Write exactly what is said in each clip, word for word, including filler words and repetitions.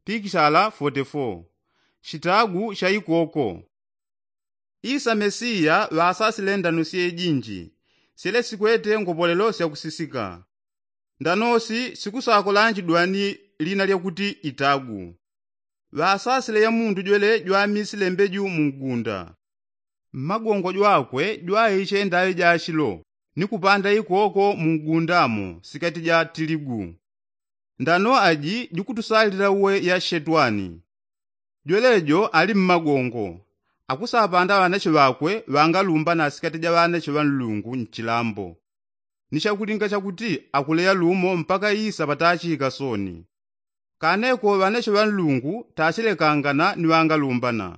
pikishala forty-four. Shitagu sha ikoko. Isa mesiya ŵasasile ndano syejinji syele sikwete ngopolelo syakusisika. Ndanosi sikusakolanji dwani lina lyakuti itagu. Ŵasasile ya mundu jwele jwamisile mbeju mu ngunda. Mmagongo jwakwe jwaiche ndaŵi jashilo ni kupanda ikoko mu ngundamo sikati ja tiligu. Ndano aji jikutusalila uwe ya shetwani. Jwelejo ali mmagongo akusapanda ŵanache ŵakwe ŵangalumbana sikati ja ŵanache ŵa nlungu nchilambo. Ni chakulinga chakuti akuleya lumo mpaka isa ŵatachika soni. Kaneko ŵanache ŵa nlungu tachilekangana ni ŵangalumbana.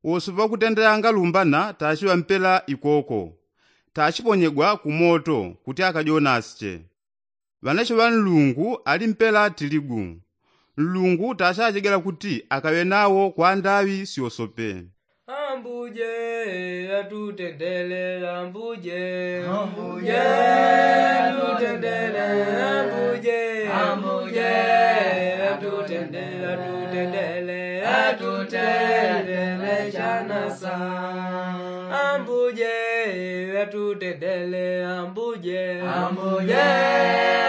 Wose ŵakutendela angalumbana tachiŵampela ikoko. Tachiponyegwa ku moto kuti akajonasiche. Ŵanache ŵa nlungu ali mpela tiligu. Nlungu tachajegela kuti akaŵe nawo kwa ndaŵi syosope. Ambuje atutendele ambuje. Ambuje atutendele ambuje. Ambuje atutendele atutendele atutendele chanasa. Ambuje atutendele ambuje. Ambuje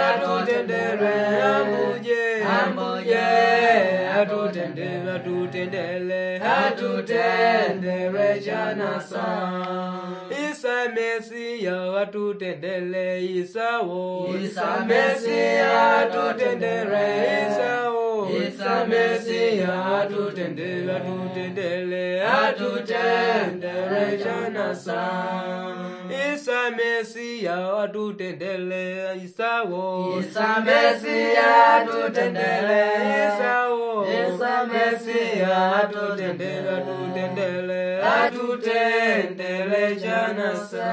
atutendele ambuje. Ambuje atutendele atutendele atutendele chanasa. Isa mesiya atutendele isa wo. Isa mesiya atutendele isa wo. Isa mesiya atutendele atutendele atutendele chanasa. Isa mesiya atutendele isa wo. Isa mesiya atutendele isa wo. Isa mesiya atutendele atutendele atutendele chanasa.